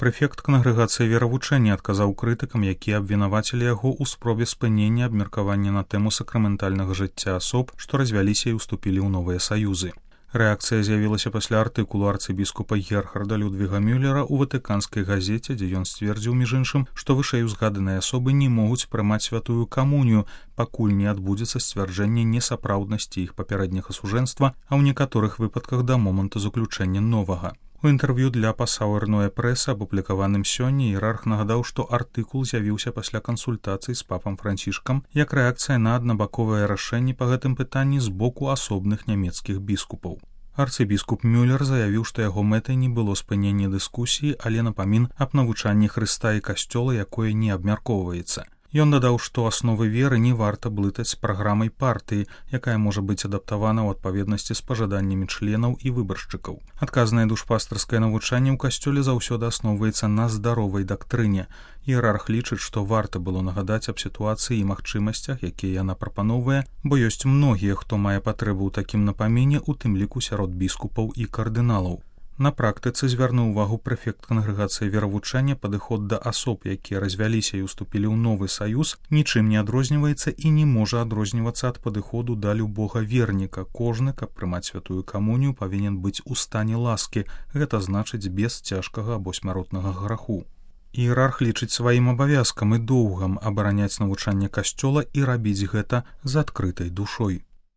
Прэфект кангрэгацыі веравучэння адказаў крытыкам, якія абвінавацілі яго ў спробе спынення абмеркавання на тэму сакраментальнага жыцця асоб, што развяліся і ўступілі ў новыя саюзы. Рэакцыя з'явілася пасля артыкулу арцыбіскупа Герхарда Людвіга Мюллера ў ватыканскай газеце, дзе ён сцвердзіў, між іншым, што вышэй узгаданыя асобы не могуць прымаць святую камунію, пакуль не адбудзецца сцвярджэнне несапраўднасці іх папярэдняга сужэнства, а ў некаторых выпадках да моманту заключэння новага. У інтэрв'ю для Пасауэрнуэ прэса, апублікаваным сёння, іерарх нагадаў, што артыкул з'явіўся пасля кансультацый з папам Францішкам як рэакцыя на аднабаковае рашэнне па гэтым пытанні з боку асобных нямецкіх біскупаў. Арцыбіскуп Мюллер заявіў, што яго мэтай не было спынення дыскусіі, але напамін аб навучанні Хрыста і касцёла, якое не абмяркоўваецца. Ён дадаў, што асновы веры не варта блытаць з праграмай партыі, якая можа быць адаптавана ў адпаведнасці з пажаданнямі членаў і выбаршчыкаў. Адказнае душпастарскае навучанне ў касцёле заўсёды асноўваецца на здаровай дактрыне. Іерарх лічыць, што варта было нагадаць аб сітуацыі і магчымасцях, якія яна прапановвае, бо ёсць многія, хто мае патрэбу ў такім напамене, у тым ліку сярод біскупаў і кардыналаў. На практыцы звярнуў увагу прэфект кангрэгацыі веравучэння, падыход да асоб, якія развяліся і ўступілі ў новы саюз, нічым не адрозніваецца і не можа адрознівацца ад падыходу да любога верніка. Кожны, каб прымаць святую камунію, павінен быць у стане ласкі, гэта значыць без цяжкага або смяротнага граху. Іерарх лічыць сваім абавязкам і доўгам абараняць навучанне касцёла і рабіць гэта з адкрытай душой.